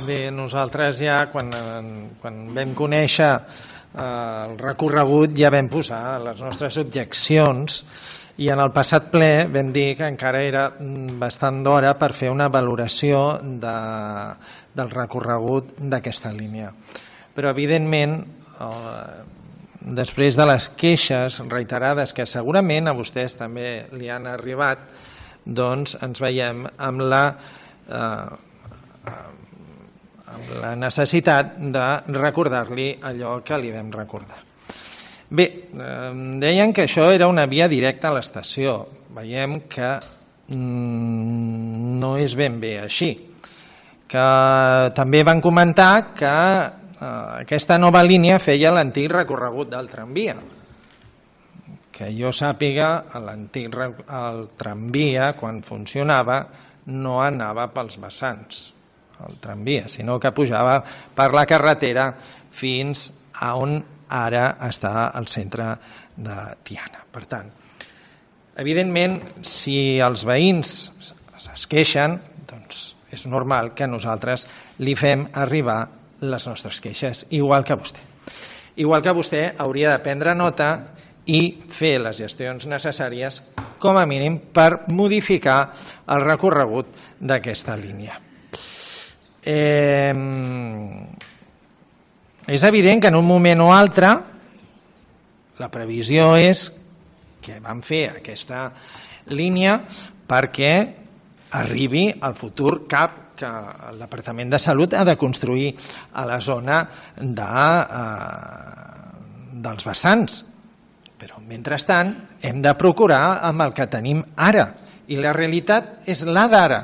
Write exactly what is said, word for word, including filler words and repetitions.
Bé, nosaltres ja, quan, quan vam conèixer eh, el recorregut, ja vam posar les nostres objeccions i en el passat ple vam dir que encara era bastant d'hora per fer una valoració de, del recorregut d'aquesta línia. Però, evidentment, eh, després de les queixes reiterades que segurament a vostès també li han arribat, doncs ens veiem amb la eh, amb la necessitat de recordar-li allò que li vam recordar. Bé, eh, deien que això era una via directa a l'estació. Veiem que mm, no és ben bé així. Que també van comentar que eh, aquesta nova línia feia l'antic recorregut del tramvia. Que jo sàpiga, l'antic el tramvia, quan funcionava, no anava pels vessants, el tramvia, sinó que pujava per la carretera fins a on ara està el centre de Tiana. Per tant, evidentment, si els veïns es queixen, doncs és normal que nosaltres li fem arribar les nostres queixes, igual que vostè. Igual que vostè hauria de prendre nota i fer les gestions necessàries, com a mínim, per modificar el recorregut d'aquesta línia. Eh, és evident que en un moment o altre la previsió és que vam fer aquesta línia perquè arribi al futur C A P que el Departament de Salut ha de construir a la zona de, eh, dels vessants. Però, mentrestant, hem de procurar amb el que tenim ara. I la realitat és la d'ara.